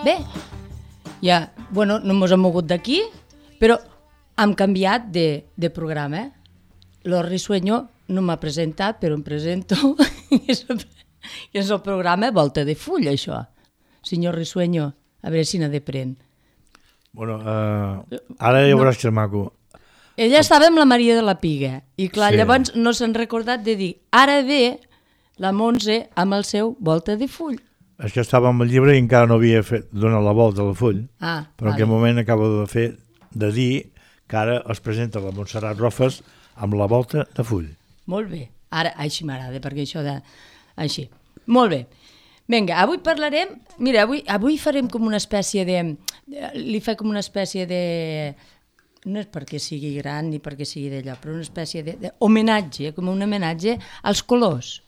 Bé, ja, bueno, no ens hem mogut d'aquí, però hem canviat de programa. Lo Risueño no m'ha presentat, però em presento. I és el programa Volta de Full, això. Senyor Risueño, a veure si n'ha de prendre. Bueno, ara ja veuràs que és maco. Ella estava amb la Maria de la Piga i clar, sí. Llavors no s'han recordat de dir ara ve la Montse amb el seu Volta de Full. És que estava amb el llibre i encara no havia donat la volta al full, però en aquest moment acabo de dir que ara es presenta la Montserrat Rofes amb la Volta de Full. Molt bé, ara així m'agrada, perquè això de... així. Molt bé. Vinga, avui parlarem... Mira, avui farem com una espècie de... Li fa com una espècie de... No és perquè sigui gran ni perquè sigui d'allò, però una espècie d'homenatge, com un homenatge als colors.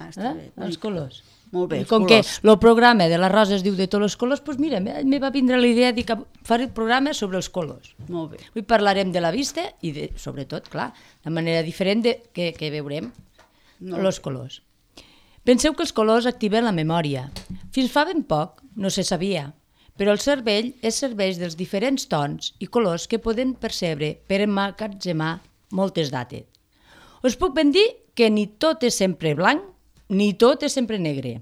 Està bé. Els colors. Molt bé, com colors. Que el programa de la Rosa es diu de tots els colors, doncs mira, me va vindre la idea de que faré el programa sobre els colors. Molt bé. Avui parlarem de la vista i, sobretot, clar, de manera diferent que veurem els colors. Penseu que els colors activen la memòria. Fins fa ben poc no se sabia, però el cervell es serveix dels diferents tons i colors que poden percebre per emmagatzemar moltes dates. Us puc ben dir que ni tot és sempre blanc, ni tot és sempre negre.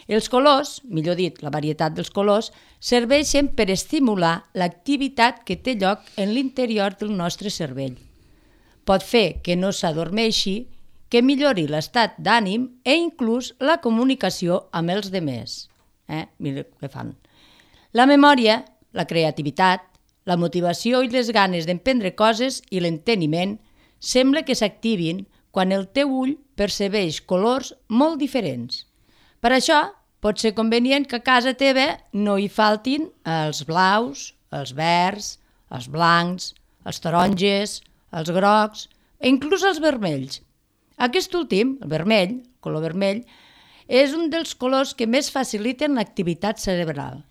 Els colors, millor dit, la varietat dels colors, serveixen per estimular l'activitat que té lloc en l'interior del nostre cervell. Pot fer que no s'adormeixi, que millori l'estat d'ànim i inclús la comunicació amb els demés. Mira què fan. La memòria, la creativitat, la motivació i les ganes d'emprendre coses i l'enteniment sembla que s'activin quan el teu ull percebeix colors molt diferents. Per això, pot ser convenient que a casa teva no hi faltin els blaus, els verds, els blancs, els taronges, els grocs i inclús els vermells. Aquest últim, el vermell, el color vermell, és un dels colors que més faciliten l'activitat cerebral,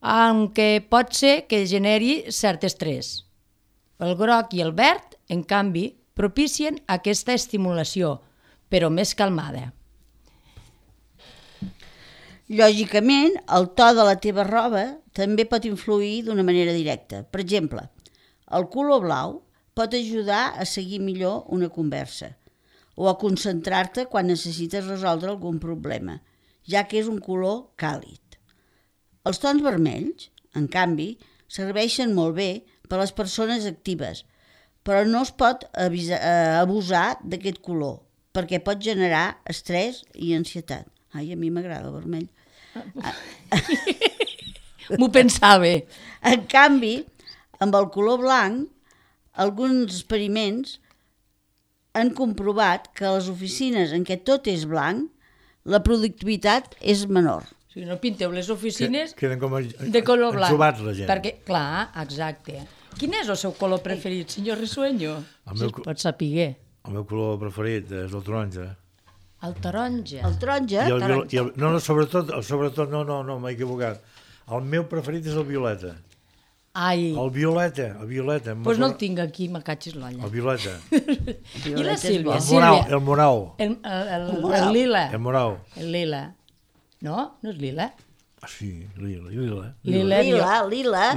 aunque pot ser que generi cert estrès. El groc i el verd, en canvi, propicien aquesta estimulació, però més calmada. Lògicament, el to de la teva roba també pot influir d'una manera directa. Per exemple, el color blau pot ajudar a seguir millor una conversa o a concentrar-te quan necessites resoldre algun problema, ja que és un color càlid. Els tons vermells, en canvi, serveixen molt bé per a les persones actives, però no es pot abusar d'aquest color, perquè pot generar estrès i ansietat. Ai, a mi m'agrada el vermell. M'ho pensava. En canvi, amb el color blanc, alguns experiments han comprovat que a les oficines en què tot és blanc, la productivitat és menor. O sigui, no pinteu les oficines Queden com de color blanc. Ensubats la gent. Perquè, clar, exacte. Quin és el seu color preferit, senyor Risueño? Si es pot saber. El meu color preferit és el taronja. El taronja. El taronja? Sobretot, no, m'he equivocat. El meu preferit és el violeta. Ai. El violeta. Doncs no el tinc aquí, me catxis l'olla. El violeta. I la Sílvia? El morau. El lila. El morau. El lila. No? No és lila? Sí, lila. Lila.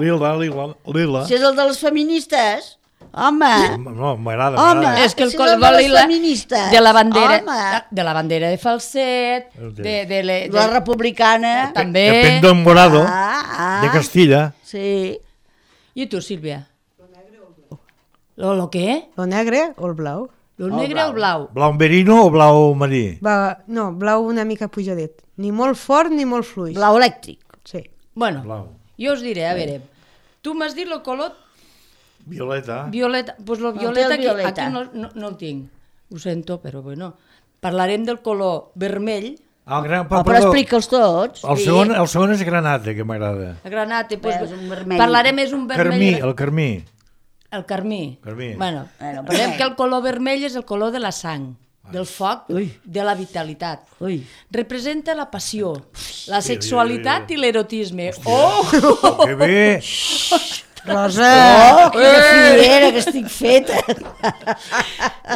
Si és el de les feministes, home. No, m'agrada. Home, és que el si color lila de la bandera de Falset, de la republicana. També. De Pendón Morado, de Castilla. Sí. I tu, Sílvia? Lo negre o el blau. ¿Lo qué? Lo negre o el blau? Lo negre o el blau? Blau merino o blau marí? No, blau una mica pujadet. Ni molt fort ni molt fluix. Blau elèctric. Sí. Bueno, jo us diré, a veure, tu m'has dit el color... Violeta. Doncs el violeta aquí no el tinc. Ho sento, però bueno. Parlarem del color vermell. Però explica'ls tots. El segon és granate, que m'agrada. El granate, és un vermell. Parlarem, és un vermell... El carmí. El carmí. Bueno, parlem que el color vermell és el color de la sang, del foc, de la vitalitat. Representa la passió, la sexualitat i l'erotisme. Que bé! Rosa! Oh, quina fiera que estic feta!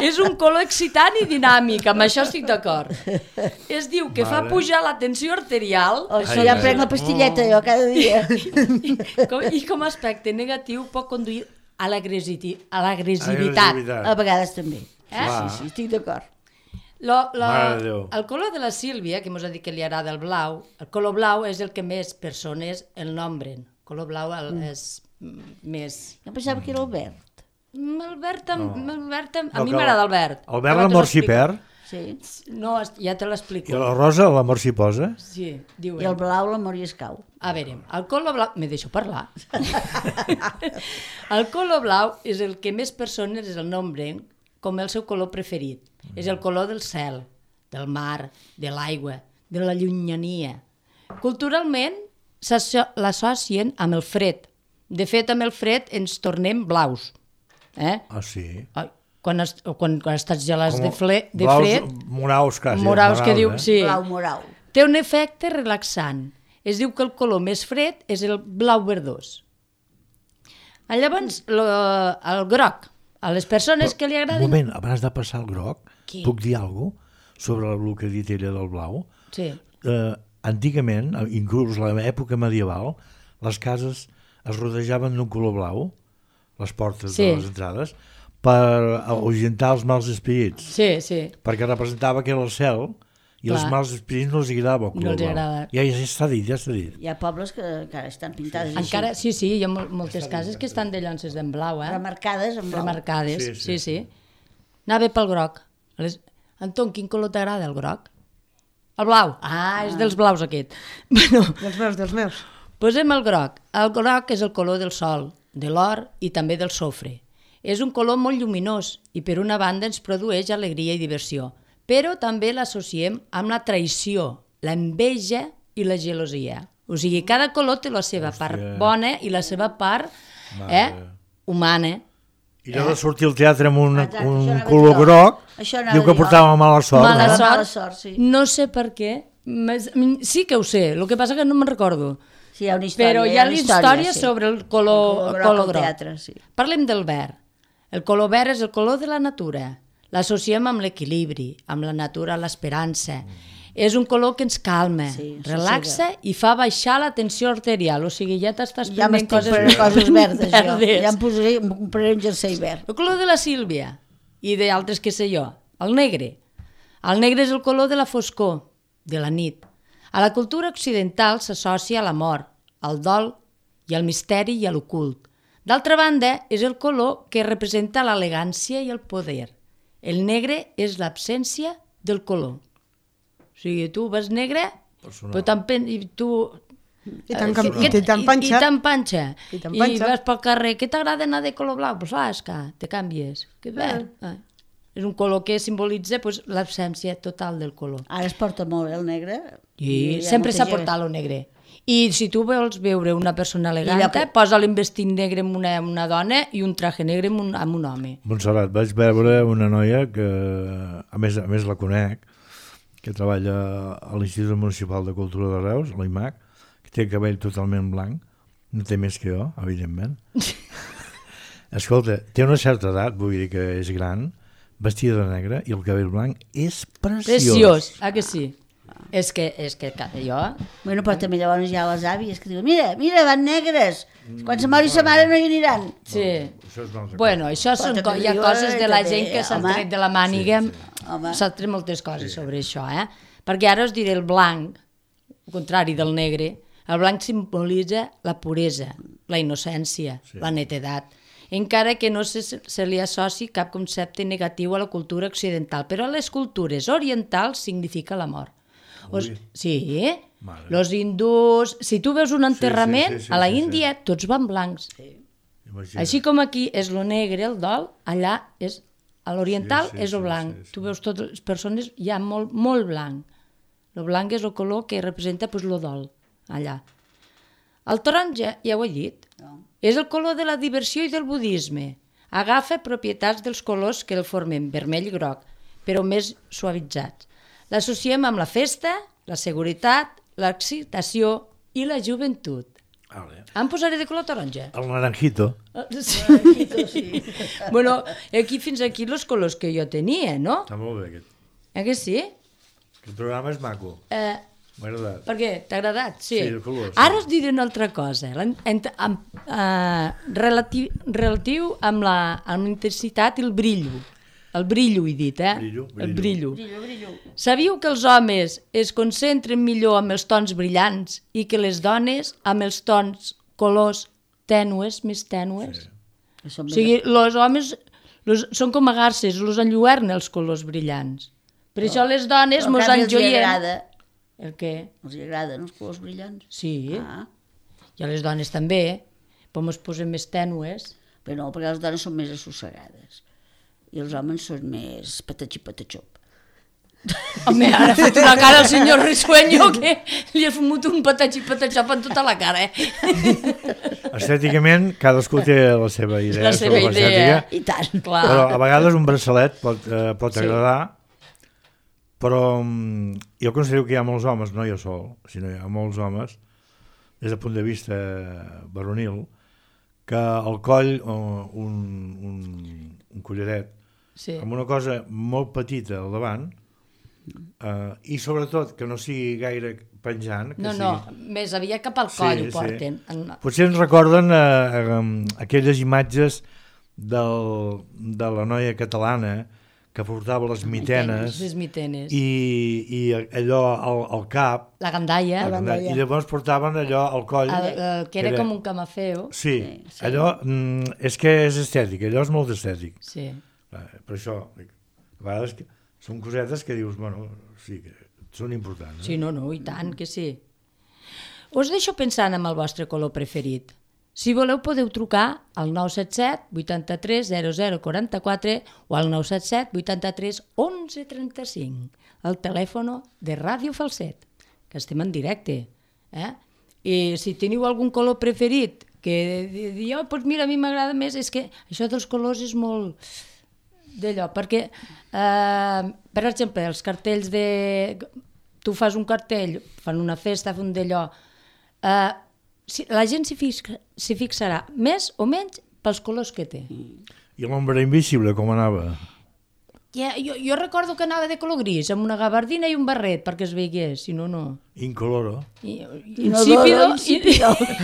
És un color excitant i dinàmic, amb això estic d'acord. Es diu que fa pujar la tensió arterial. Això ja prenc la pastilleta jo cada dia. I com a aspecte negatiu pot conduir a l'agressivitat. A vegades també. Sí, estic d'acord. El color de la Sílvia, que mos ha dit que li agrada el blau, el color blau és el que més persones el nombren. El color blau és més... Jo pensava que era el verd. El verd, a mi m'agrada el verd. El verd l'amor s'hi perd? Sí. No, ja te l'explico. I la rosa l'amor s'hi posa? Sí, diuen. I el blau l'amor hi escau. A veure, el color blau... Me deixo parlar. El color blau és el que més persones el nombren com el seu color preferit. És el color del cel, del mar, de l'aigua, de la llunyania. Culturalment l'associen amb el fred. De fet, amb el fred ens tornem blaus. Ah, sí? Quan estàs gelats de fred... Moraus, quasi. Moraus, que diu... Sí. Blau morau. Té un efecte relaxant. Es diu que el color més fred és el blau verdós. Llavors, el groc. A les persones que li agraden... Un moment, abans de passar al groc, puc dir alguna cosa sobre el que ha dit ella del blau? Sí. Antigament, inclús a l'època medieval, les cases es rodejaven d'un color blau, les portes de les entrades, per ahuyentar els mals espirits. Sí, sí. Perquè representava que era el cel i els mals espirits no els agradava el color blau. Ja està dit, ja està dit. Hi ha pobles que encara estan pintades així. Encara, sí, hi ha moltes cases que estan de llonces en blau, remarcades en blau. Remarcades, sí. Anava pel groc. Anton, quin color t'agrada, el groc? El blau. És dels blaus aquest. Bueno, dels meus. Posem el groc. El groc és el color del sol, de l'or i també del sofre. És un color molt lluminós i per una banda ens produeix alegria i diversió, però també l'associem amb la traïció, l'enveja i la gelosia. O sigui, cada color té la seva part bona i la seva part humana. I allò de sortir al teatre amb un color groc, diu que portava mala sort. Mala sort, sí. No sé per què. Sí que ho sé, el que passa que no me'n recordo. Sí, hi ha una història. Però hi ha la història sobre el color groc. Teatre, sí. Parlem del verd. El color verd és el color de la natura. L'associem amb l'equilibri, amb la natura, l'esperança. És un color que ens calma, relaxa i fa baixar la tensió arterial. O sigui, ja t'estàs prenent coses verdes. Ja em compraré un jersei verd. El color de la Sílvia i d'altres que sé jo. El negre. El negre és el color de la foscor, de la nit. A la cultura occidental s'associa a la mort, al dol i al misteri i a l'ocult. D'altra banda, és el color que representa l'elegància i el poder. El negre és l'absència del color. O sigui, tu vas negre, però I te'n panxa. I vas pel carrer. Què t'agrada anar de color blau? Doncs és que te canvies. Que verd. És un color que simbolitza l'absència total del color. Ara es porta molt el negre. I sempre s'ha portat el negre. I si tu vols veure una persona elegant, posa l'investit negre amb una dona i un traje negre amb un home. Montserrat, vaig veure una noia que, a més la conec, que treballa a l'Institut Municipal de Cultura de Reus, a l'IMAC, que té el cabell totalment blanc, no té més que jo, evidentment. Escolta, té una certa edat, vull dir que és gran, vestida de negre i el cabell blanc és preciós. Preciós, que sí? És que jo... Bueno, però també llavors hi ha les àvies que diuen mira, van negres, quan se mori sa mare no hi aniran. Sí. Bueno, això hi ha coses de la gent que s'han tret de la màniga, s'han tret moltes coses sobre això, perquè ara us diré el blanc, al contrari del negre, el blanc simbolitza la puresa, la innocència, la netedat, encara que no se li associ cap concepte negatiu a la cultura occidental, però a les cultures orientals significa la mort. Sí, els hindús... Si tu veus un enterrament, a la Índia tots van blancs. Així com aquí és lo negre, el dol, allà és... A l'oriental és el blanc. Tu veus totes les persones, hi ha molt blanc. El blanc és el color que representa el dol, allà. El taronja, ja ho he dit, és el color de la diversió i del budisme. Agafa propietats dels colors que el formen, vermell i groc, però més suavitzats. L'associem amb la festa, la seguretat, l'excitació i la joventut. Vale. Em posaré de color taronja. El naranjito. Sí. Bueno, aquí fins aquí els colors que jo tenia, no? Està molt bé aquest. Que sí? Aquest programa és maco. M'ha agradat. Per què? T'ha agradat? Sí. Sí, el color, sí. Ara us diré una altra cosa. Relatiu amb la intensitat i el brillo. El brillo, he dit, El brillo. Sabíeu que els homes es concentren millor amb els tons brillants i que les dones amb els tons colors tènues, més tènues? Sí. O sigui, els homes són com a garces, els enlluernen els colors brillants. Per això les dones mos enjoien... El què? Els agraden els colors brillants? Sí. I a les dones també, però mos posem més tènues. Però no, perquè les dones són més assossegades. I els homes són més patatxi-patatxop. Home, ara ha fet una cara al senyor Risueño que li ha fumut un patatxi-patatxop en tota la cara, Estèticament, cadascú té la seva idea. La seva idea, i tant. Clar. Però a vegades un braçalet pot agradar, però jo considero que hi ha molts homes, no jo sol, sinó hi ha molts homes, des del punt de vista varonil, que al coll un collaret amb una cosa molt petita al davant i sobretot que no sigui gaire penjant. Més aviat cap al coll ho porten. Sí. Potser ens recorden aquelles imatges de la noia catalana que portava les mitenes i allò al cap, la gandaia, i llavors portaven allò al coll que era com un camafeo. Sí, allò és que és estètic, allò és molt estètic. Sí. Per això a vegades són cosetes que dius, bueno, sí, que són importants. Sí, no, i tant que sí. Us deixo pensant en el vostre color preferit. Si voleu podeu trucar al 977 83 00 44 o al 977 83 11 35, el telèfon de Ràdio Falset, que estem en directe. I si teniu algun color preferit, que dieu, doncs mira, a mi m'agrada més, és que això dels colors és molt d'allò, perquè, per exemple, els cartells de... Tu fas un cartell, fan una festa, fan d'allò... La gent s'hi fixarà més o menys pels colors que té. I l'ombra invisible, com anava? Jo recordo que anava de color gris, amb una gabardina i un barret, perquè es veiés, si no, no. Incoloro. Insípido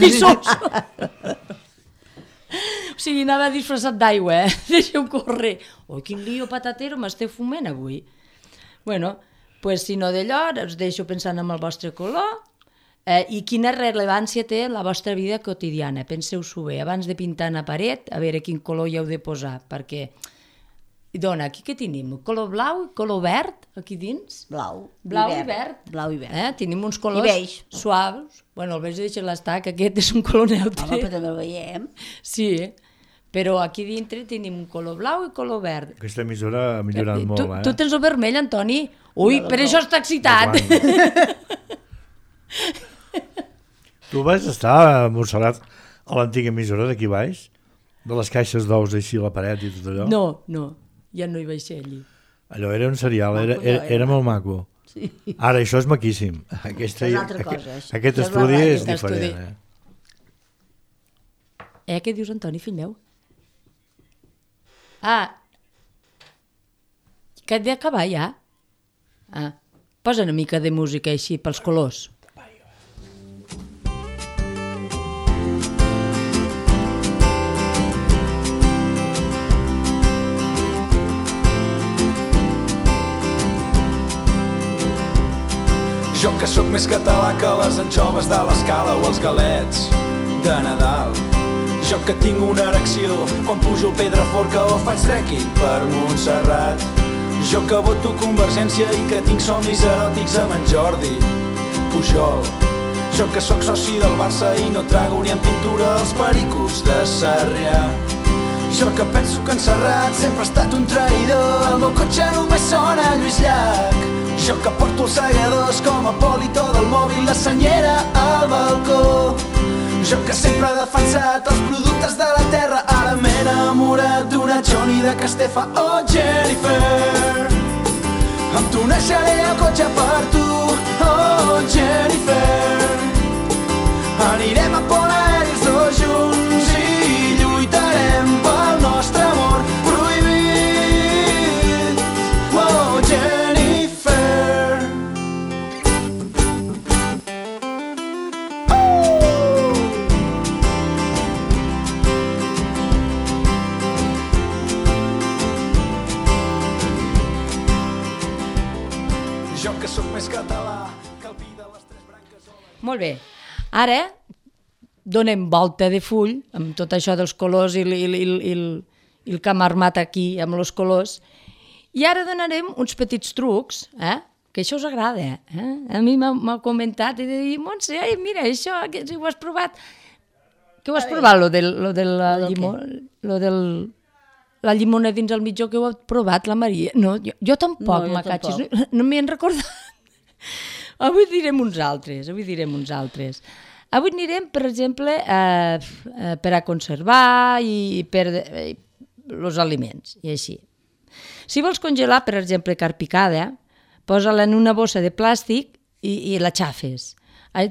i soso. O sigui, anava disfressat d'aigua, deixeu córrer. Quin lío patatero m'esteu fumant avui. Bueno, pues, si no d'allò, us deixo pensant en el vostre color i quina rellevància té en la vostra vida quotidiana. Penseu-s'ho bé, abans de pintar una paret, a veure quin color hi heu de posar, perquè... Dona, aquí què tenim? Color blau i color verd, aquí dins? Blau i verd. Blau i verd. Tenim uns colors suaus. Bueno, el beix deixa l'estar, que aquest és un color neutre. Home, però també el veiem. Sí, però aquí dintre tenim un color blau i color verd. Aquesta emissora ha millorat molt, Tu tens el vermell, Antoni? Ui, per això està excitat. Tu vas estar a Montserrat, a l'antiga emissora d'aquí baix? De les caixes d'ous així a la paret i tot allò? No, ja no hi vaig ser allí. Allò era un serial, era molt maco. Sí. Ara, això és maquíssim. És una altra cosa. Aquest estudi és diferent. Què dius, Antoni, fill meu? Que hem d'acabar ja? Posa una mica de música així pels colors. Jo que sóc més català que les anxoves de l'Escala o els galets de Nadal. Jo que tinc una erecció quan pujo el Pedraforca o faig trekking per Montserrat. Jo que voto Convergència i que tinc somnis eròtics amb en Jordi Pujol. Jo que sóc soci del Barça i no trago ni en pintura els pericos de Sarrià. Jo que penso que en Serrat sempre ha estat un traïdor. El meu cotxe només sona Lluís Llach. Jo que porto els segadors com a polito del mòbil, la senyera al balcó. Jo que sempre he defensat els productes de la terra, ara m'he enamorat d'una Johnny de Castefa o Jennifer. Em tunejaré el cotxe per tu, oh Jennifer. Anirem a por Molt bé. Ara donem volta de full amb tot això dels colors i el que hem armat aquí amb els colors. I ara donarem uns petits trucs, que això us agrada. A mi m'ha comentat i de dir, Montse, mira, això, que si ho has provat. Què ho has provat, lo de la llimona dins el mitjó, que ho ha provat la Maria? No, jo tampoc, macatxis, no m'hi han recordat. Avui direm uns altres. Avui anirem, per exemple, per a conservar i per els aliments, i així. Si vols congelar, per exemple, carn picada, posa-la en una bossa de plàstic i la xafes.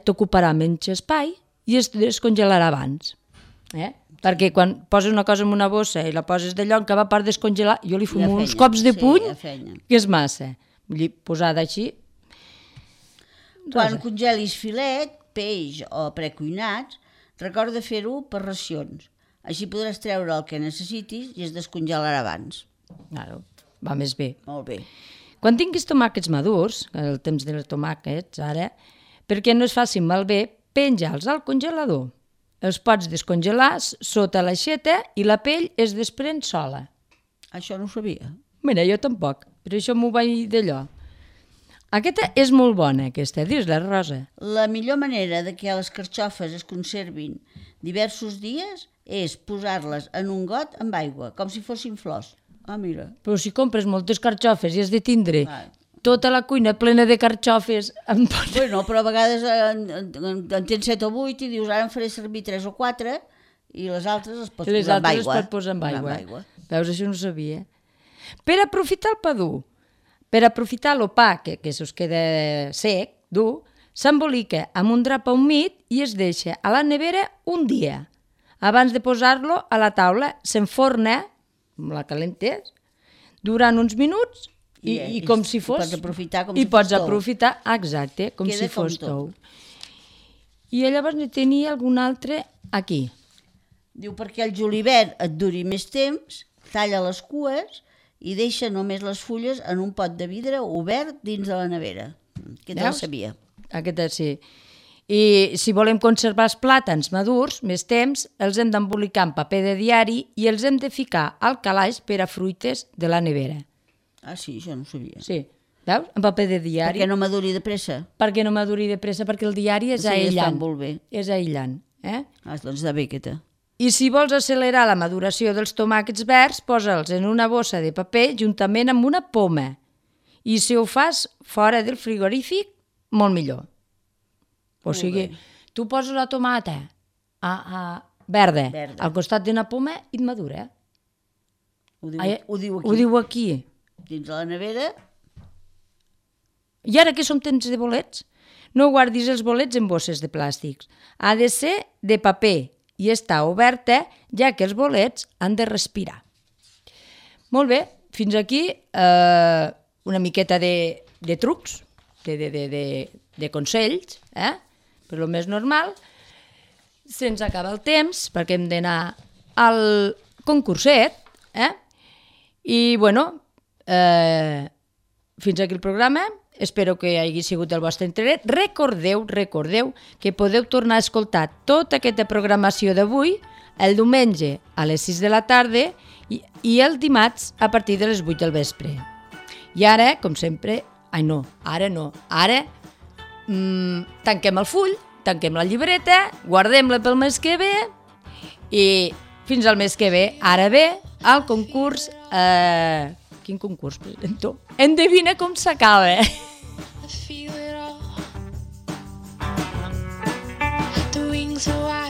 T'ocuparà menys espai i es descongelarà abans. Perquè quan poses una cosa en una bossa i la poses d'allò, en cada part descongelar, jo li fumo uns cops de puny, que és massa. Vull dir, posada així. Quan congelis filet, peix o precuinats, recorda fer-ho per racions. Així podràs treure el que necessitis i es descongelarà abans. Claro, va més bé. Molt bé. Quan tinguis tomàquets madurs, el temps dels tomàquets ara, perquè no es facin malbé, penja-los al congelador. Els pots descongelar sota l'aixeta i la pell es desprèn sola. Això no ho sabia. Mira, jo tampoc, però això m'ho vaig d'allò. Aquesta és molt bona, aquesta, dis-la, Rosa. La millor manera de que les carxofes es conservin diversos dies és posar-les en un got amb aigua, com si fossin flors. Ah, mira. Però si compres moltes carxofes i has de tindre tota la cuina plena de carxofes... Bueno, però a vegades en tens 7 o 8 i dius, ara en faré servir 3 o 4 i les altres les pots posar amb aigua. Les altres les pots posar amb aigua. Veus, això no ho sabia. Per aprofitar el pa dur, per aprofitar el pa que se us queda sec, dur, s'embolica amb un drap humit i es deixa a la nevera un dia. Abans de posar-lo a la taula, s'enforna, amb la calentes, durant uns minuts i com si fos... I pots aprofitar com si fos tou. I pots aprofitar, exacte, com si fos tou. I llavors ne tenia algun altre aquí. Diu, perquè el julivert et duri més temps, talla les cues i deixa només les fulles en un pot de vidre obert dins de la nevera. Aquest el sabia. Aquest sí. I si volem conservar els plàtans madurs més temps, els hem d'embolicar en paper de diari i els hem de ficar al calaix per a fruites de la nevera. Ah, sí, això no ho sabia. Sí, veus? En paper de diari. Perquè no maduri de pressa. Perquè no maduri de pressa, perquè el diari és aïllant. Molt bé. És aïllant. Doncs de bé, aquesta. I si vols accelerar la maduració dels tomàquets verds, posa'ls en una bossa de paper juntament amb una poma. I si ho fas fora del frigorífic, molt millor. O sigui, tu poses la tomata verda al costat d'una poma i et madura. Ho diu aquí. Ho diu aquí. Dins de la nevera. I ara que som temps de bolets, no guardis els bolets en bosses de plàstics. Ha de ser de paper i està oberta, ja que els bolets han de respirar. Molt bé, fins aquí una miqueta de trucs, de consells, per lo més normal. Se'ns acaba el temps, perquè hem d'anar al concurset, i bueno, fins aquí el programa. Espero que hagi sigut del vostre interès. Recordeu que podeu tornar a escoltar tota aquesta programació d'avui el diumenge a les 6 de la tarda i el dimarts a partir de les 8 del vespre. I ara, com sempre, ara tanquem el full, tanquem la llibreta, guardem-la pel mes que ve i fins al mes que ve, ara ve el concurs... Quin concurs presento? Endevina com s'acaba. The wings are